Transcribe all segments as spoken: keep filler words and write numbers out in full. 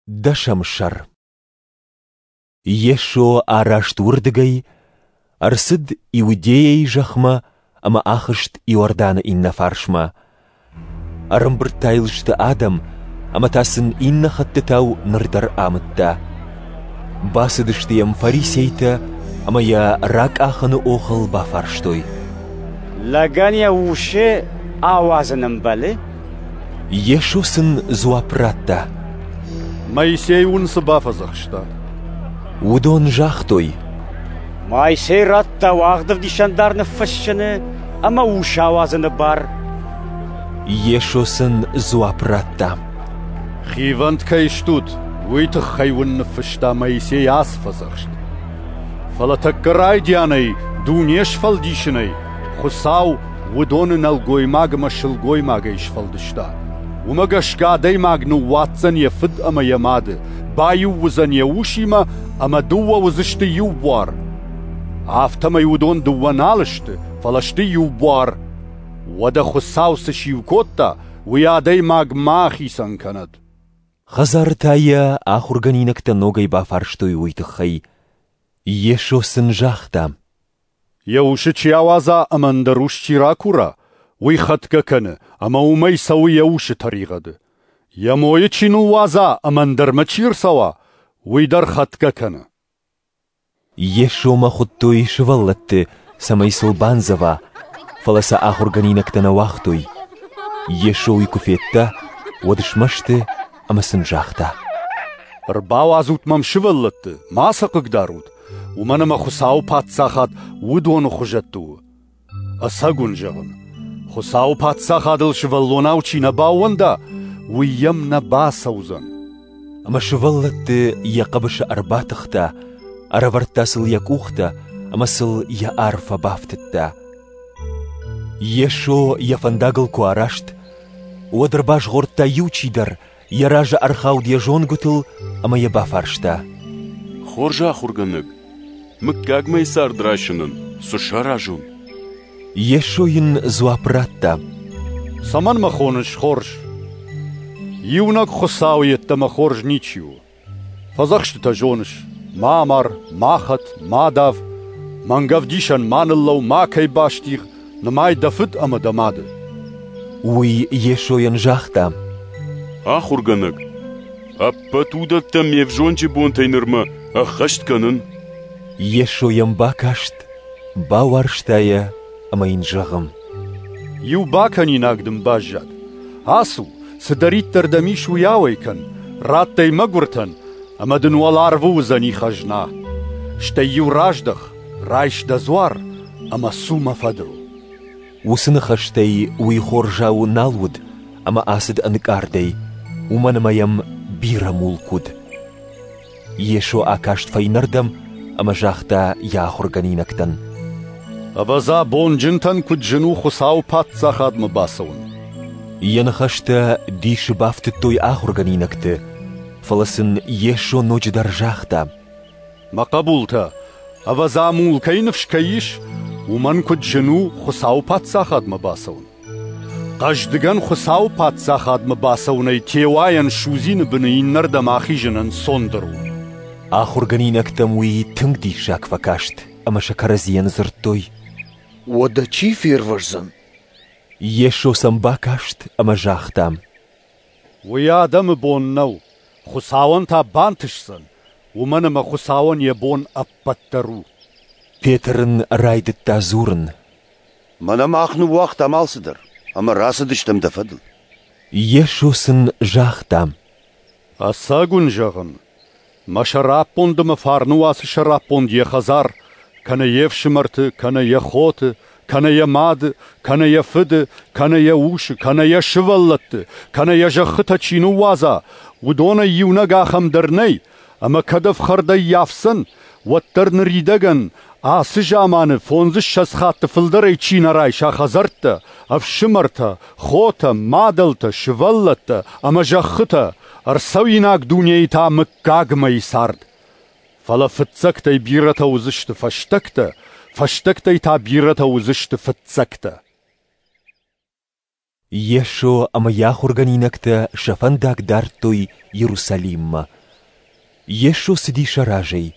Дӕсӕм сӕр. Йесо араст уырдыгӕй, ӕрцыд Иудейӕйы зӕхмӕ ӕмӕ ахызт Иорданы иннӕ фарсмӕ. Ӕрӕмбырд та йыл сты адӕм, ӕмӕ та сын иннӕ хӕттытау ныр дӕр амыдта. Бацыдысты йӕм фарисейтӕ ӕмӕ йӕ ракъахыны охыл бафарстой: Лӕгӕн йӕ усы ауадзын ӕмбӕлы? Йесо сын дзуапп радта: Моисей уын цы бафӕдзӕхста? Уыдон загътой: Моисей радта уагъд ӕвдисӕндар ныффыссыны ӕмӕ ус ауадзыны бар. Йесо сын дзуапп радта: Хивӕнд кӕй стут, уый тыххӕй уын ныффыста Моисей ацы фӕдзӕхст. Фӕлӕ тӕккӕ райдианӕй, дуне сфӕлдисынӕй, Хуыцау уыдоны нӕлгоймаг ӕмӕ сылгоймагӕй сфӕлдыста. Уымӕ гӕсгӕ адӕймаг ныууадздзӕн йӕ фыд ӕмӕ йӕ мады, баиу уыдзӕн йӕ усимӕ ӕмӕ дыууӕ уыдзысты иу буар. Афтӕмӕй уыдон дыууӕ нал сты, фӕлӕ сты иу буар. Уӕдӕ Хуыцау цы сиу кодта, уый адӕймаг ма ахицӕн кӕнӕд. Хӕдзары та йӕ ахуыргӕнинӕгтӕ ногӕй бафарстой уый тыххӕй. Йесо сын загъта: Йӕ усы чи ауадза ӕмӕ ӕндӕр ус чи ракура, уый хӕтгӕ кӕны, ӕмӕ уымӕй цӕуы йӕ усы тӕригъӕды. Йӕ мойы чи ныууадза ӕмӕ ӕндӕрмӕ чи ӕрцӕуа, уый дӕр хӕтгӕ кӕны. Йесомӕ хуыдтой сывӕллӕтты, цӕмӕй сыл бандзӕва, фӕлӕ сӕ ахуыргӕнинӕгтӕ нӕ уагътой. Йесо уый куы федта, уӕд смӕсты ӕмӕ сын загъта: Ӕрбауадзут мӕм сывӕллӕтты, ма сӕ хъыгдарут, уымӕн ӕмӕ Хуыцауы паддзахад уыдоны хуызӕтты у. Ӕцӕг уын зӕгъын, Хуыцауы паддзахадыл сывӕллонау чи нӕ баууӕнда, уый йӕм нӕ бацӕудзӕн. Ӕмӕ сывӕллӕтты йӕ хъӕбысы ӕрбатыхта, ӕрӕвӕрдта сыл йӕ къухтӕ ӕмӕ сыл йӕ арфӕ бафтыдта. Йесо йӕ фӕндагыл куы араст, уӕд ӕрбазгъордта иу чидӕр, йӕ разы ӕрхауд йӕ зонгуытыл ӕмӕ йӕ бафарста: Хорз ахуыргӕнӕг, мыггагмӕйы цард райсынӕн цы саразон? Йесо йын дзуапп радта: Цӕмӕн мӕ хоныс хорз? Иунӕг Хуыцауы йеддӕмӕ хорз ничи у. Фӕдзӕхстытӕ зоныс: ма амар, ма хӕт, ма дав, мӕнгӕвдисӕн ма ныллӕуу, макӕй бастигъ, нымай дӕ фыд ӕмӕ дӕ мады. Уый Йесойӕн загъта: Ахуыргӕнӕг, ӕппӕт уыдӕттӕ ме взонджы бонтӕй нырмӕ ӕххӕст кӕнын. Йесо йӕм бакаст, бауарзта йӕ ӕмӕ йын зӕгъы: Иу бакӕнинаг дын баззад. Ацу, цыдӕриддӕр дӕм ис, уый ауӕй кӕн, ратт ӕй мӕгуыртӕн, ӕмӕ дын уӕларвы уыдзӕни хӕзна. Стӕй-иу раздӕх, райс дӕ дзуар ӕмӕ цу мӕ фӕдыл. Уыцы ныхӕстӕй уый хорзау нал уыд ӕмӕ ацыд ӕнкъардӕй, уымӕн ӕмӕ йӕм бирӕ мулк уыд. Йесо акаст фӕйнӕрдӕм ӕмӕ загъта йӕ ахуыргӕнинӕгтӕн: Ӕвӕдза, бонджынтӕн куыд зын у Хуыцауы паддзахадмӕ бацӕуын. Йӕ ныхӕстӕ дисы бафтыдтой ахуыргӕнинӕгты, фӕлӕ сын Йесо ноджыдӕр загъта: Мӕ хъӕбултӕ, ӕвӕдза, мулкӕй ныфс кӕй ис, уымӕн куыд зын у Хуыцауы паддзахадмӕ бацӕуын. Хъӕздыгӕн Хуыцауы паддзахадмӕ бацӕуынӕй теуайӕн судзины быны иннӕрдӕм ахизын ӕнцондӕр у. Ахуыргӕнинӕгтӕм уый тынг диссаг фӕкаст ӕмӕ сӕ кӕрӕдзийӕн дзырдтой: Уӕдӕ чи фервӕздзӕн? Йесо сӕм бакаст ӕмӕ загъта: Уый адӕмы бон нӕу, Хуыцауӕн та бантысдзӕн, уымӕн ӕмӕ Хуыцауӕн йӕ бон ӕппӕт дӕр у. Петр ын райдыдта дзурын: Мӕнӕ мах ныууагътам алцыдӕр ӕмӕ рацыдыстӕм дӕ фӕдыл. Йесо сын загъта: Ӕцӕг уын зӕгъын, мӕ сӕраппонд ӕмӕ фарны уацы сӕраппонд йӕ хӕдзар, кӕнӕ йе фсымӕрты, кӕнӕ йӕ хоты, кӕнӕ йӕ мады, кӕнӕ йӕ фыды, кӕнӕ йӕ усы, кӕнӕ йӕ сывӕллӕтты, кӕнӕ йӕ зӕххытӕ чи ныууадза, уыдонӕй иунӕг ахӕм дӕр нӕй, ӕмӕ кӕд ӕфхӕрд ӕййафдзӕн, уӕддӕр ныридӕгӕн ацы заманы фондзыссӕдз хатты фылдӕрӕй чи нӕ райса хӕдзӕрттӕ, ӕфсымӕртӕ, хотӕ, мадӕлтӕ, сывӕллӕттӕ ӕмӕ зӕххытӕ, ӕрцӕуинаг дунейы та мыггагмӕйы цард. Фӕлӕ фыццӕгтӕй бирӕтӕ уыдзысты фӕстӕгтӕ, фӕстӕгтӕй та бирӕтӕ уыдзысты фыццӕгтӕ. Йесо ӕмӕ йӕ ахуыргӕнинӕгтӕ сӕ фӕндаг дардтой Иерусалиммӕ. Йесо цыди сӕ разӕй.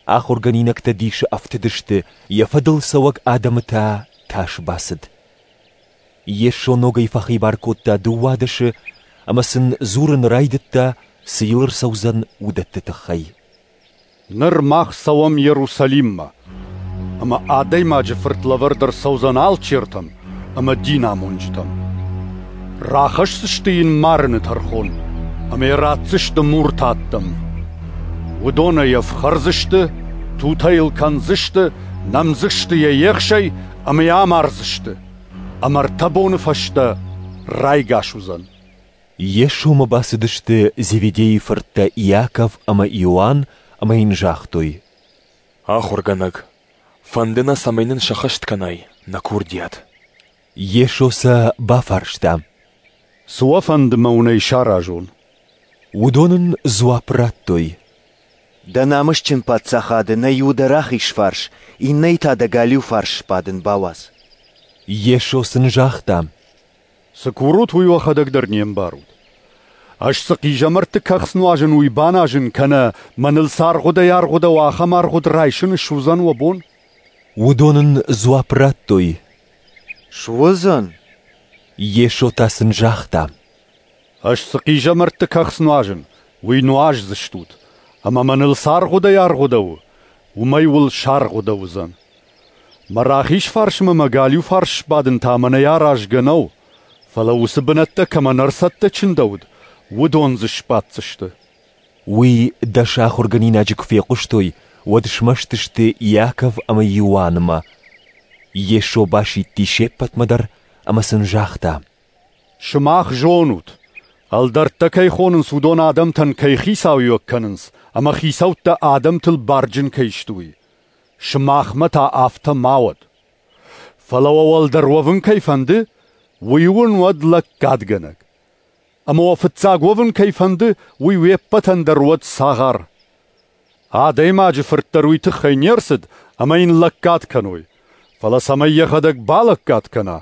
Ахуыргӕнинӕгтӕ дисы ӕфтыдысты, йӕ фӕдыл цӕуӕг адӕмы та тас бацыд. Йесо ногӕй фӕхибар кодта дыууадӕсы ӕмӕ сын дзурын райдыдта, цы йыл ӕрцӕудзӕн, уыдӕтты тыххӕй. Ныр мах цӕуӕм Иерусалиммӕ, ӕмӕ Адӕймаджы Фырт лӕвӕрд ӕрцӕудзӕн алчертӕм ӕмӕ динамонджытӕм. Рахӕсдзысты йын марыны тӕрхон ӕмӕ йӕ ратдзысты муртаттӕм. Уыдон ӕй ӕфхӕрдзысты, тутӕ йыл кӕндзысты, нӕмдзысты йӕ ехсӕй ӕмӕ йӕ амардзысты. Ӕмӕ ӕртӕ боны фӕстӕ райгас уыдзӕн. Йесомӕ бацыдысты Зеведейы фырттӕ Иаков ӕмӕ Иоанн ӕмӕ йын загътой: Ахуыргӕнӕг, фӕнды нӕ, цӕмӕй нын сӕххӕст кӕнай нӕ курдиат. Йесо сӕ бафарста: Цы уӕ фӕнды мӕ уын ӕй саразон? Уыдон ын дзуапп радтой: Дӕ намысджын паддзахады нӕ иуы дӕ рахиз фарс, иннӕйы та дӕ галиу фарс сбадын бауадз. Йесо сын загъта: Цы курут, уый уӕхӕдӕг дӕр не мбарут. Ӕз цы хъизӕмӕртты кӕхц нуазын, уый баназын, кӕнӕ мӕныл цы аргъуыдӕй аргъуыдӕуа, ахӕм аргъуыд райсын суыдзӕн уӕ бон? Уыдон ын дзуапп радтой: Суыдзӕн. Йесо та сын загъта: Ӕз цы хъизӕмӕртты кӕхц нуазын, уый нуаздзыстут, ӕмӕ мӕныл цы аргъуыдӕй аргъуыдӕуы, уымӕй уыл саргъуыдӕуыдзӕн. Мӕ рахиз фарсмӕ мӕ галиу фарс сбадын та мӕнӕй аразгӕ нӕу, фӕлӕ уыцы бынӕттӕ кӕмӕн ӕрцӕттӕ чындӕуыд, уыдон дзы сбаддзысты. Уый дӕс ахуыргӕнинаджы куы фехъуыстой, уӕд смӕсты сты Иаков ӕмӕ Иоаннмӕ. Йесо басидти се ппӕтмӕ дӕр ӕмӕ сын загъта: Сымах зонут, ӕлдӕрттӕ кӕй хонынц, уыдон адӕмтӕн кӕй хицауиуӕг кӕнынц, ӕмӕ хицӕуттӕ адӕмтыл барджын кӕй сты, уый. Сымахмӕ та афтӕ ма уӕд. Фӕлӕ уӕ уӕлдӕр уӕвын кӕй фӕнды, уый уын уӕд лӕггадгӕнӕг. Ӕмӕ уӕ фыццаг уӕвын кӕй фӕнды, уый уе ппӕтӕн дӕр уӕд цагъар. Адӕймаджы Фырт дӕр уый тыххӕй не рцыд, ӕмӕ йын лӕггад кӕной, фӕлӕ цӕмӕй йӕхӕдӕг балӕггад кӕна,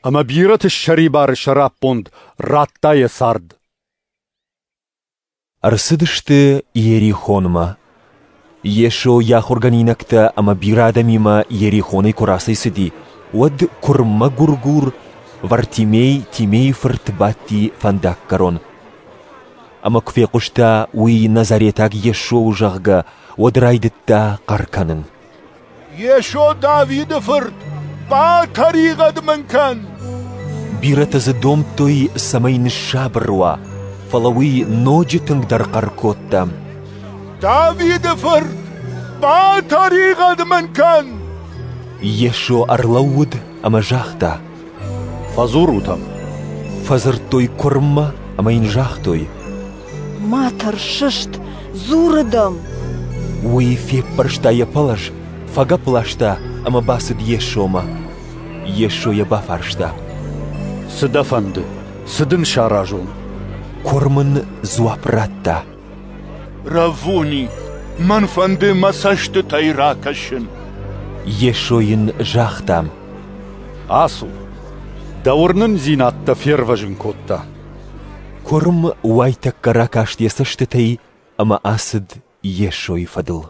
ӕмӕ бирӕты ссӕрибары сӕраппонд радта йӕ цард. Ӕрцыдысты Иерихонмӕ. Йесо йӕ ахуыргӕнинӕгтӕ ӕмӕ бирӕ адӕмимӕ Иерихонӕй куы рацӕйцыди, уӕд куырм мӕгуыргур Вартимей Тимейы фырт бадти фӕндаггӕрон. Ӕмӕ куы фехъуыста, уый Назаретаг Йесо у, зӕгъгӕ, уӕд райдыдта хъӕр кӕнын: Йесо Давиды фырт, батӕригъӕд мын кӕн! Бирӕтӕ дзы домдтой, цӕмӕй ныссабыр уа, фӕлӕ уый ноджы тынгдӕр хъӕр кодта: Давиды фырт, батӕригъӕд мын кӕн! Йесо ӕрлӕууыд ӕмӕ загъта: Фӕдзурут ӕм. Фӕдзырдтой куырммӕ ӕмӕ йын загътой: Ма тӕрс, сыст, дзуры дӕм. Уый феппӕрста йӕ пӕлӕз, фӕгӕпп ласта ӕмӕ бацыд Йесомӕ. Йесо йӕ бафарста: Цы дӕ фӕнды, цы дын саразон? Куырм ын дзуапп радта: Раввуни, мӕн фӕнды мӕ цӕстытӕй ракӕсын. Йесо йын загъта: Ацу, дӕ уырнындзинад дӕ фервӕзын кодта. Куырм уайтӕккӕ ракаст йӕ цӕстытӕй ӕмӕ ацыд Йесойы фӕдыл.